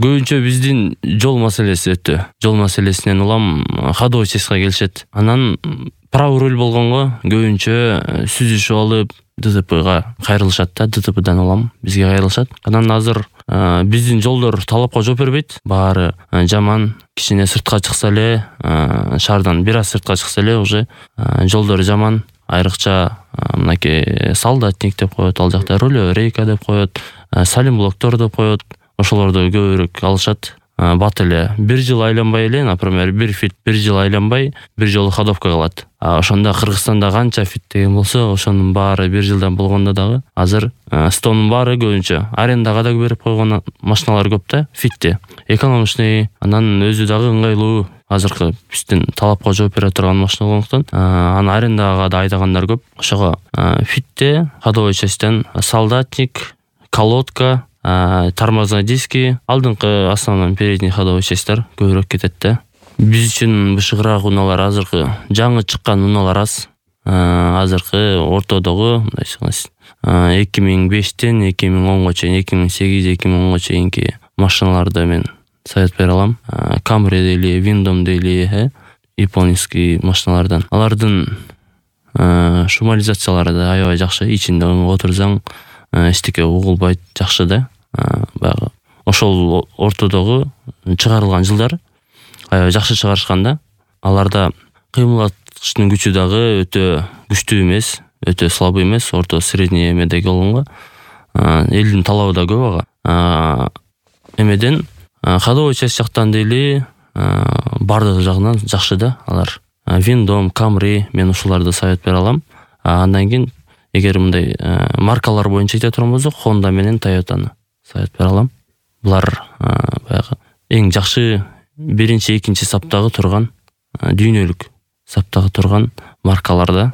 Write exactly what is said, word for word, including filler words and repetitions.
көбүнчө биздин жол маселеси өтө. Жол маселесинен улам ходовой частька келишет. Анан правый руль болгонго көбүнчө сүзүшүп алып ДТПга кайрылышат да, ДТПдан улам бизге кайрылышат. Анан азыр биздин жолдор талапка жооп бербейт. Баары жаман, кичине сыртка чыкса эле, шаардан бир аз сыртка чыкса эле уже жолдор жаман. Айрыкча мынакей солдатник деп коет, ал жакта рулевой рейка деп коет, салим блоктор деп коет. Ошолорду көбүрөөк алышат. Бат эле бир жыл айланбай эле, например, бир фит бир жыл айланбай бир жолу ходовка кылат. А ошондо Кыргызстанда канча фит деген болсо, ошонун баары бир жылдан болгондо дагы азыр стонун баары көбүнчө арендага да берип койгон машиналар көп да, фитти. Экономичный, анан өзү дагы ыңгайлуу. Азыркы биздин талапка жооп бере турган машина болгондуктан аны арендага да айдагандар көп. Ошого фитте ходовой частьтен солдатник, колодка, тормозной диски, алдыңкы основной передний ходовой частьтер көбүрөөк кетет да. Биз үчүн бышыгыраак унаалар азыркы жаңы чыккан унаалар аз. Азыркы ортодогу мындай эки миң бештен эки миң онго чейин, эки миң сегиз эки миң онго чейинки машиналарды мен совет бере алам. Camry дейли, Windom дейли, японский машиналардан. Алардын шумализациялары да аябай жакшы, ичинде отурсаң эчтеке угулбайт, жакшы да. Баягы ошол ортодогу чыгарылган жылдар аябай жакшы чыгарышкан да. Аларда кыймылдаткычтын күчү дагы өтө күчтүү эмес, өтө слабый эмес, орто средний эмедеги болгонго элдин талабы да көп ага. Эмеден ходовой часть жактан дейли бардыгы жагынан жакшы да алар. Windom, Camry, мен ушуларды совет бере алам. Андан кийин эгер мындай маркалар боюнча айта турган болсок, Honda менен Toyotаны совет бере алам. Булар баягы эң жакшы биринчи, экинчи саптагы турган, дүйнөлүк саптагы турган маркалар да.